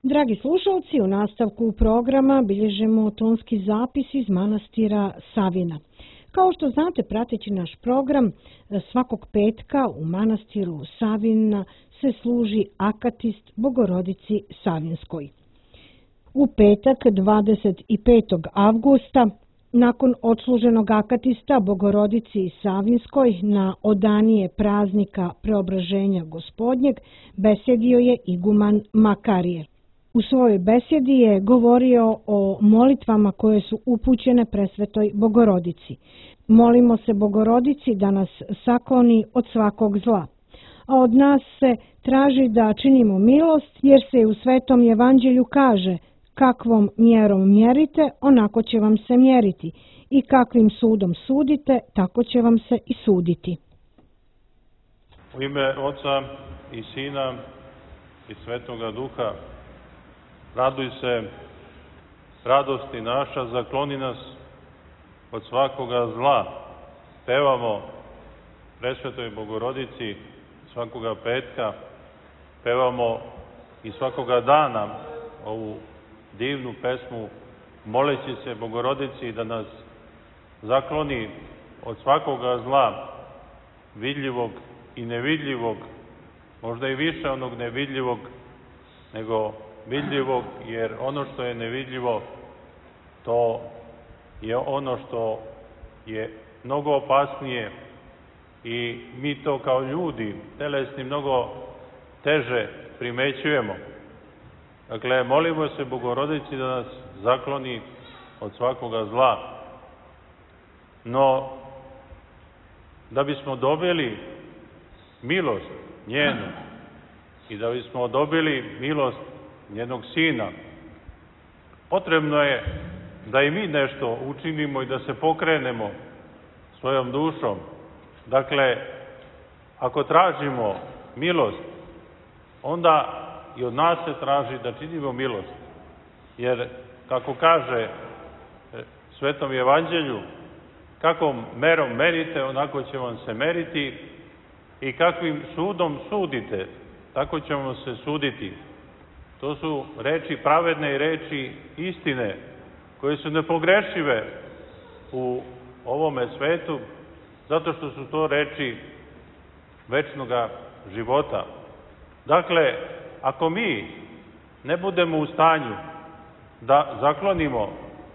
Dragi slušalci, u nastavku programa bilježimo tonski zapis iz manastira Savina. Kao što znate, prateći naš program, svakog petka u manastiru Savina se služi akatist Bogorodici Savinskoj. U petak 25. avgusta, nakon odsluženog akatista Bogorodici Savinskoj na odanije praznika Preobraženja Gospodnjeg, besedio je iguman Makarije. U svojoj besedi je govorio o molitvama koje su upućene Presvetoj Bogorodici. Molimo se Bogorodici da nas sakloni od svakog zla. A od nas se traži da činimo milost, jer se u Svetom Evanđelju kaže: kakvom mjerom mjerite, onako će vam se mjeriti, i kakvim sudom sudite, tako će vam se i suditi. U ime Oca i Sina i Svetoga Duha, raduj se, radosti naša, zakloni nas od svakoga zla. Pevamo Presvetoj Bogorodici svakoga petka, pevamo i svakoga dana ovu divnu pesmu, moleći se Bogorodici da nas zakloni od svakoga zla, vidljivog i nevidljivog, možda i više onog nevidljivog nego vidljivog, jer ono što je nevidljivo, to je ono što je mnogo opasnije i mi to kao ljudi, telesni, mnogo teže primećujemo. Dakle, molimo se Bogorodici da nas zakloni od svakoga zla. No, da bismo dobili milost njenu i da bismo dobili milost njenog Sina, potrebno je da i mi nešto učinimo i da se pokrenemo svojom dušom. Dakle, ako tražimo milost, onda i od nas se traži da činimo milost. Jer, kako kaže Svetom Evanđelju, kakvom merom merite, onako će vam se meriti, i kakvim sudom sudite, tako će vam se suditi. To su reči pravedne i reči istine, koje su nepogrešive u ovome svetu, zato što su to reči večnoga života. Dakle, ako mi ne budemo u stanju da zaklonimo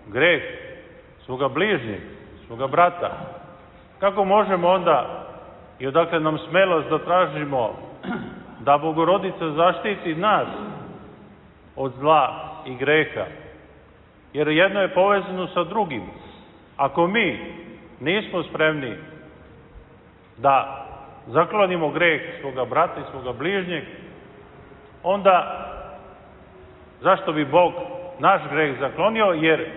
greh svoga bližnjeg, svoga brata, kako možemo onda i odakle nam smelost da tražimo da Bogorodica zaštiti nas od zla i greha? Jer jedno je povezano sa drugim. Ako mi nismo spremni da zaklonimo greh svoga brata i svoga bližnjeg, onda zašto bi Bog naš greh zaklonio? Jer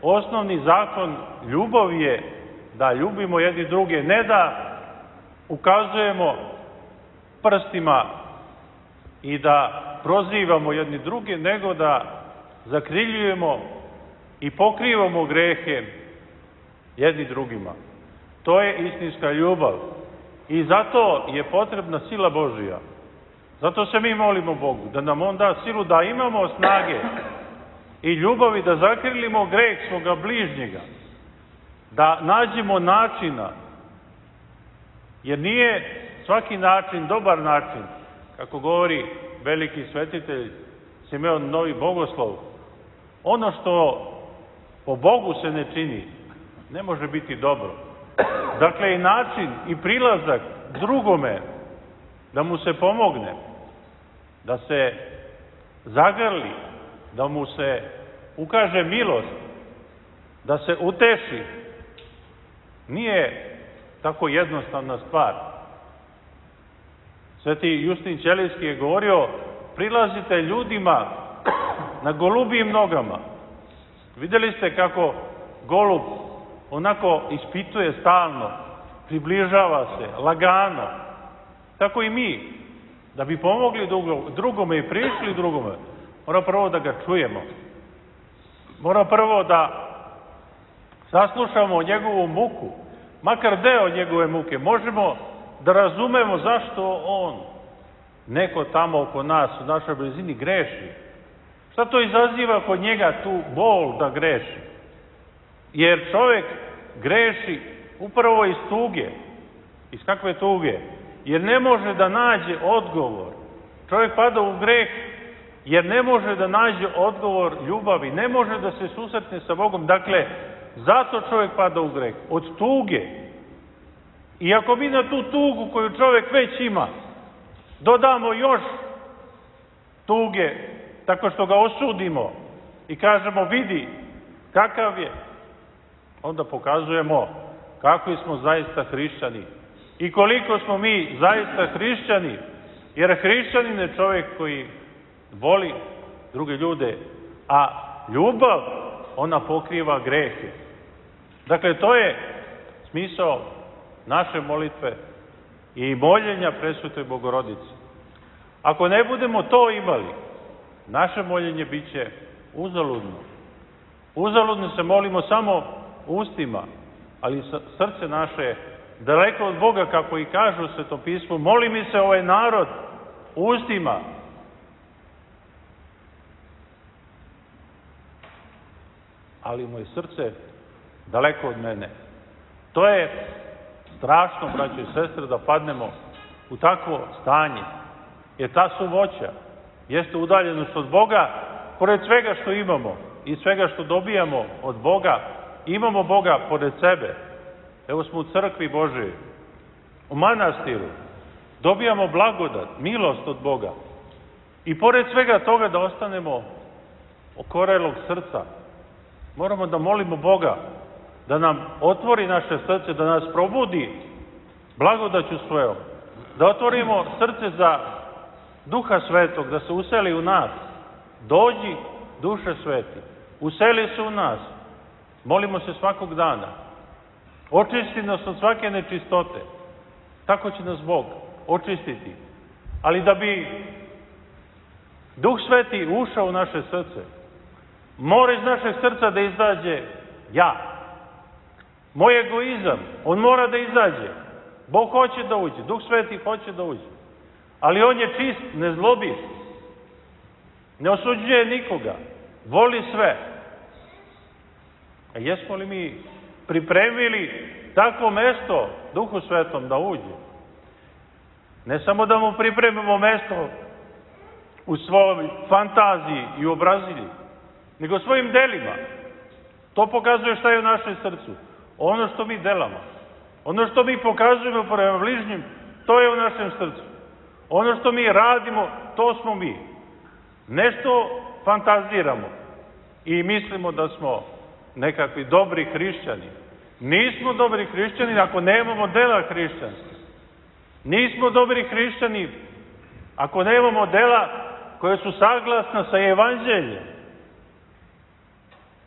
osnovni zakon ljubavi je da ljubimo jedni druge, ne da ukazujemo prstima i da prozivamo jedni druge, nego da zakriljujemo i pokrivamo grehe jedni drugima. To je istinska ljubav. I zato je potrebna sila Božija. Zato se mi molimo Bogu, da nam On da silu, da imamo snage i ljubavi da zakrilimo greh svoga bližnjega, da nađemo načina, jer nije svaki način dobar način, kako govori veliki svetitelj Simeon Novi Bogoslov. Ono što po Bogu se ne čini, ne može biti dobro. Dakle, i način i prilazak drugome da mu se pomogne, da se zagrli, da mu se ukaže milost, da se uteši, nije tako jednostavna stvar. Sveti Justin Ćelijski je govorio: prilazite ljudima na golubijim nogama. Vidjeli ste kako golub onako ispituje stalno, približava se, lagano. Tako i mi, da bi pomogli drugome i prišli drugome, mora prvo da ga čujemo. Mora prvo da saslušamo njegovu muku, makar deo njegove muke. Možemo da razumemo zašto on, neko tamo oko nas, u našoj blizini, greši. Šta to izaziva kod njega tu bol da greši? Jer čovjek greši upravo iz tuge. Iz kakve tuge? Jer ne može da nađe odgovor. Čovjek pada u greh jer ne može da nađe odgovor ljubavi. Ne može da se susretne sa Bogom. Dakle, zato čovjek pada u greh. Od tuge. I ako mi na tu tugu koju čovjek već ima dodamo još tuge, tako što ga osudimo i kažemo vidi kakav je, onda pokazujemo kakvi smo zaista hrišćani i koliko smo mi zaista hrišćani, jer hrišćanin je čovjek koji voli druge ljude, a ljubav, ona pokriva grehe. Dakle, to je smisao naše molitve i moljenja Presvetoj Bogorodici. Ako ne budemo to imali, naše moljenje bit će uzaludno. Uzaludno se molimo samo ustima, ali srce naše je daleko od Boga, kako i kažu u Svetom pismu. Moli mi se ovaj narod ustima, ali moje srce daleko od mene. To je strašno, braćo i sestre, da padnemo u takvo stanje. Jer ta suvoća jeste udaljenost od Boga, pored svega što imamo i svega što dobijamo od Boga, imamo Boga pored sebe. Evo smo u crkvi Božoj, u manastiru, dobijamo blagodat, milost od Boga. I pored svega toga da ostanemo okorelog srca, moramo da molimo Boga da nam otvori naše srce, da nas probudi blagodaću svojom, da otvorimo srce za Duha Svetog, da se useli u nas. Dođi, Duše Sveti, useli se u nas. Molimo se svakog dana. Očisti nas od svake nečistote. Tako će nas Bog očistiti. Ali da bi Duh Sveti ušao u naše srce, mora iz našeg srca da izađe ja. Moj egoizam, on mora da izađe. Bog hoće da uđe, Duh Sveti hoće da uđe. Ali on je čist, ne zlobi, ne osuđuje nikoga, voli sve. A jesmo li mi pripremili takvo mesto Duhu Svetom da uđe? Ne samo da mu pripremimo mesto u svojoj fantaziji i obrazilji, nego svojim delima. To pokazuje šta je u našem srcu. Ono što mi delamo, ono što mi pokazujemo prema bližnjim, to je u našem srcu. Ono što mi radimo, to smo mi. Nešto fantaziramo i mislimo da smo nekakvi dobri hrišćani. Nismo dobri hrišćani ako nemamo dela hrišćanstva. Nismo dobri hrišćani ako nemamo dela koje su saglasna sa evanđeljem.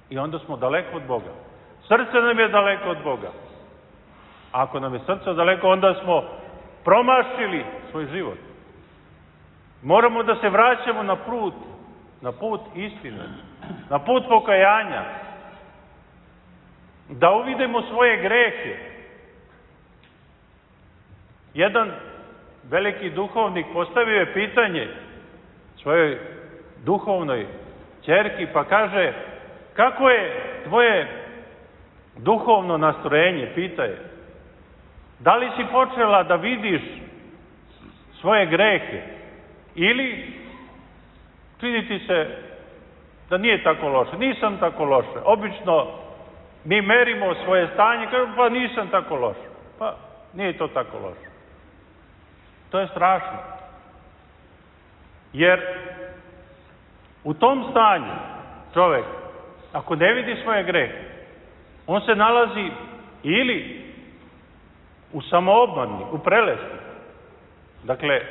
I onda smo daleko od Boga. Srce nam je daleko od Boga. A ako nam je srce daleko, onda smo promašili svoj život. Moramo da se vraćamo na put istine, na put pokajanja, da uvidimo svoje grehe. Jedan veliki duhovnik postavio je pitanje svojoj duhovnoj ćerki, pa kaže, kako je tvoje duhovno nastrojenje, pita je. Da li si počela da vidiš svoje grehe ili čini ti se da nije tako loše? Nisam tako loše. Obično mi merimo svoje stanje, kažemo, pa nisam tako loše. Pa nije to tako loše. To je strašno. Jer u tom stanju čovjek, ako ne vidi svoje grehe, on se nalazi ili u samoobmani, u prelesti. Dakle,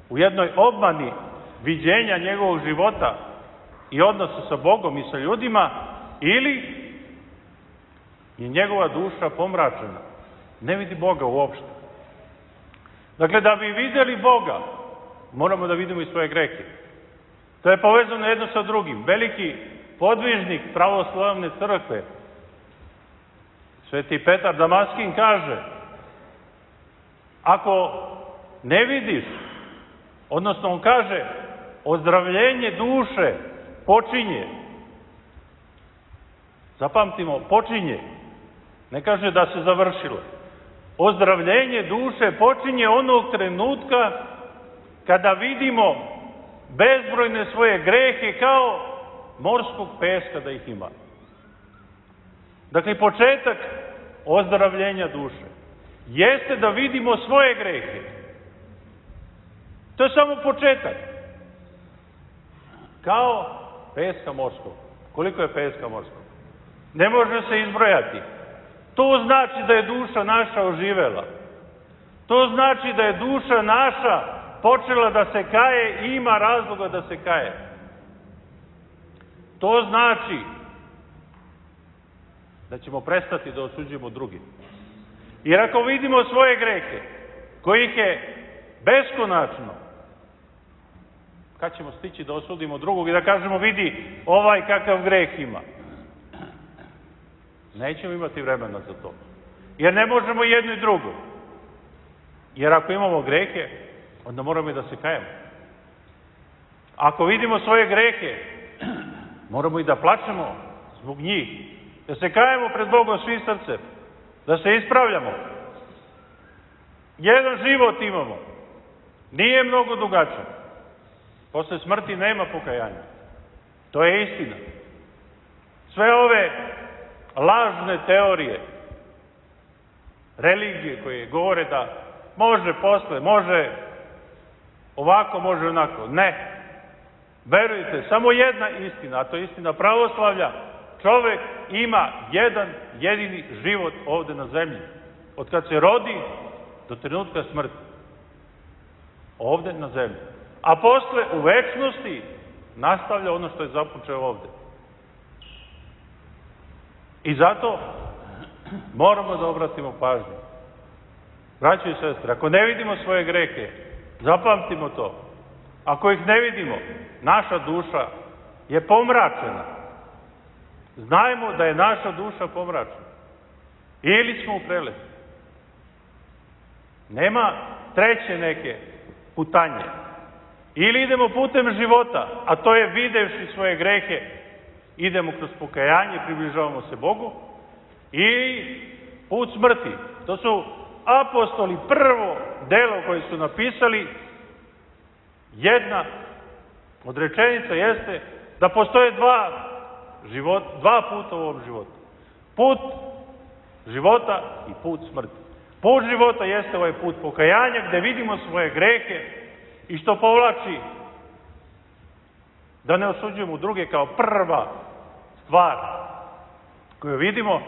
u jednoj obmani viđenja njegovog života i odnosa sa Bogom i sa ljudima, ili je njegova duša pomračena. Ne vidi Boga uopšte. Dakle, da bi vidjeli Boga, moramo da vidimo i svoje grehe. To je povezano jedno sa drugim. Veliki podvižnik pravoslavne crkve, Sveti Petar Damaskin, kaže, ako ne vidiš, odnosno on kaže, ozdravljenje duše počinje. Zapamtimo, počinje. Ne kaže da se završilo. Ozdravljenje duše počinje onog trenutka kada vidimo bezbrojne svoje grehe kao morskog peska da ih ima. Dakle, početak ozdravljenja duše jeste da vidimo svoje grehe. To je samo početak. Kao peska morskog. Koliko je peska morskog? Ne može se izbrojati. To znači da je duša naša oživela. To znači da je duša naša počela da se kaje i ima razloga da se kaje. To znači da ćemo prestati da osuđujemo drugi. Jer ako vidimo svoje grehe, kojih je beskonačno, kad ćemo stići da osudimo drugog i da kažemo vidi ovaj kakav greh ima? Nećemo imati vremena za to. Jer ne možemo jedno i drugo. Jer ako imamo grehe, onda moramo i da se kajemo. Ako vidimo svoje grehe, moramo i da plačemo zbog njih. Da se kajemo pred Bogom svi srcem. Da se ispravljamo. Jedan život imamo. Nije mnogo dugačak. Posle smrti nema pokajanja. To je istina. Sve ove lažne teorije, religije koje govore da može posle, može ovako, može onako. Ne. Verujte, samo jedna istina, a to je istina pravoslavlja. Čovek ima jedan jedini život ovde na zemlji. Od kad se rodi do trenutka smrti. Ovde na zemlji. A posle u večnosti nastavlja ono što je započeo ovde. I zato moramo da obratimo pažnju. Braćo i sestre, ako ne vidimo svoje grehe, zapamtimo to. Ako ih ne vidimo, naša duša je pomračena. Znajmo da je naša duša pomračena. Ili smo u prelesti. Nema treće neke putanje. Ili idemo putem života, a to je videvši svoje grehe, idemo kroz pokajanje, približavamo se Bogu, i put smrti. To su apostoli prvo delo koje su napisali. Jedna od rečenica jeste da postoje dva puta u ovom životu. Put života i put smrti. Put života jeste ovaj put pokajanja gde vidimo svoje grehe i što povlači da ne osuđujemo druge kao prva stvar koju vidimo,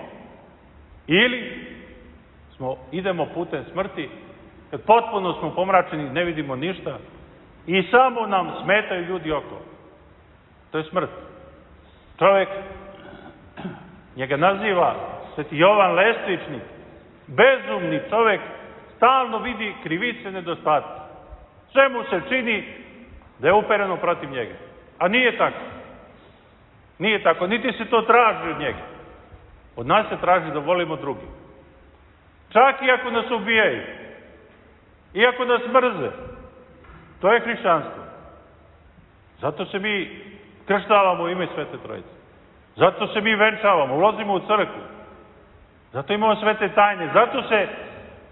ili idemo putem smrti kad potpuno smo pomračeni, ne vidimo ništa i samo nam smetaju ljudi oko. To je smrt. Čovek, njega naziva Sveti Jovan Lestvičnik, bezumni čovek, stalno vidi krivice, nedostatke. Sve mu se čini da je upereno protiv njega. A nije tako. Nije tako, niti se to traži od njega. Od nas se traži da volimo drugi. Čak i ako nas ubijaju, i ako nas mrze, to je hrišćanstvo. Zato se mi krštavamo u ime Svete Trojice. Zato se mi venčavamo, ulazimo u crkvu. Zato imamo svete tajne. Zato se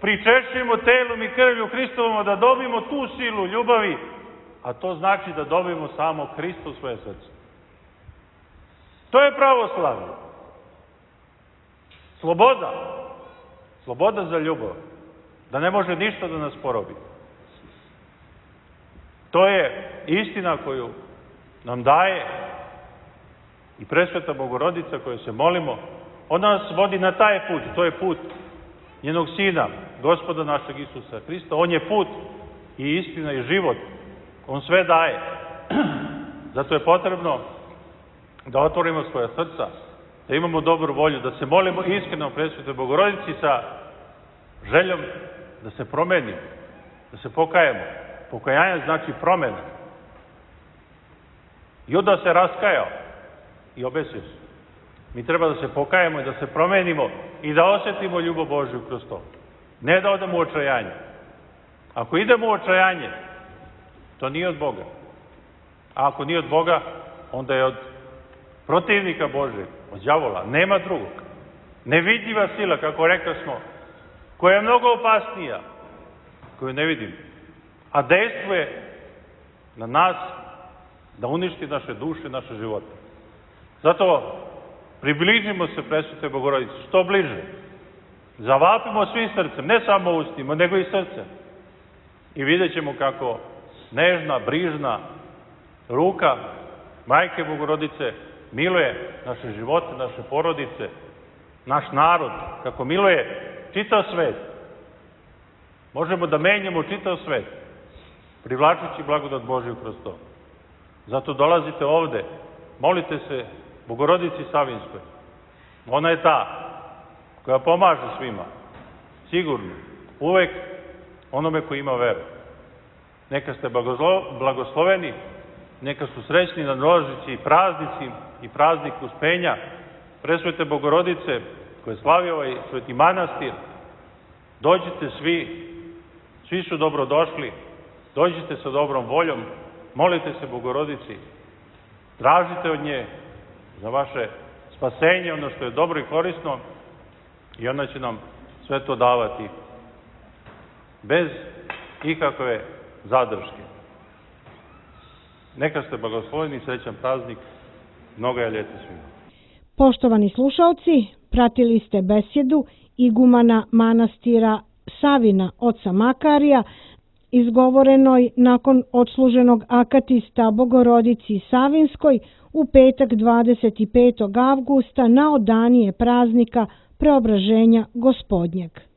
pričešćujemo telom i krvlju Hristovom da dobijemo tu silu ljubavi, a to znači da dobijemo samo Hrista u svoje srce. To je pravoslavlje. Sloboda. Sloboda za ljubav. Da ne može ništa da nas porobi. To je istina koju nam daje i Presveta Bogorodica koju se molimo. Ona nas vodi na taj put. To je put njenog Sina, Gospoda našeg Isusa Hrista. On je put i istina i život. On sve daje. Zato je potrebno da otvorimo svoja srca, da imamo dobru volju, da se molimo iskreno Presvetoj Bogorodici sa željom da se promeni, da se pokajemo. Pokajanje znači promena. Juda se raskajao i obesio se. Mi treba da se pokajemo i da se promenimo i da osjetimo ljubav Božju kroz to. Ne da odemo u očajanje. Ako idemo u očajanje, to nije od Boga. A ako nije od Boga, onda je od protivnika Božeg, od đavola. Nema drugog. Nevidljiva sila, kako rekli smo, koja je mnogo opasnija, koju ne vidim, a dejstvuje na nas da uništi naše duše, naše živote. Zato približimo se presvetoj Bogorodici što bliže. Zavapimo svim srcem, ne samo ustima, nego i srcem. I vidjet ćemo kako nežna, brižna ruka Majke Bogorodice miluje naše živote, naše porodice, naš narod, kako miluje čitav svet. Možemo da menjamo čitav svet, privlačući blagodat Božju kroz to. Zato dolazite ovde, molite se Bogorodici Savinskoj. Ona je ta koja pomaže svima, sigurno, uvek onome koji ima veru. Neka ste blagosloveni, neka su srećni nadolazeći praznici i praznik Uspenja Presvete Bogorodice koje slavi ovaj sveti manastir. Dođite svi su dobrodošli, dođite sa dobrom voljom, molite se Bogorodici, tražite od nje za vaše spasenje, ono što je dobro i korisno, i ona će nam sve to davati bez ikakve zadrške. Neka ste blagosloveni, srećan praznik, mnoga je ljeta svima. Poštovani slušalci, pratili ste besjedu igumana manastira Savina oca Makarija, izgovorenoj nakon odsluženog akatista Bogorodici Savinskoj u petak 25. avgusta na odanije praznika Preobraženja Gospodnjeg.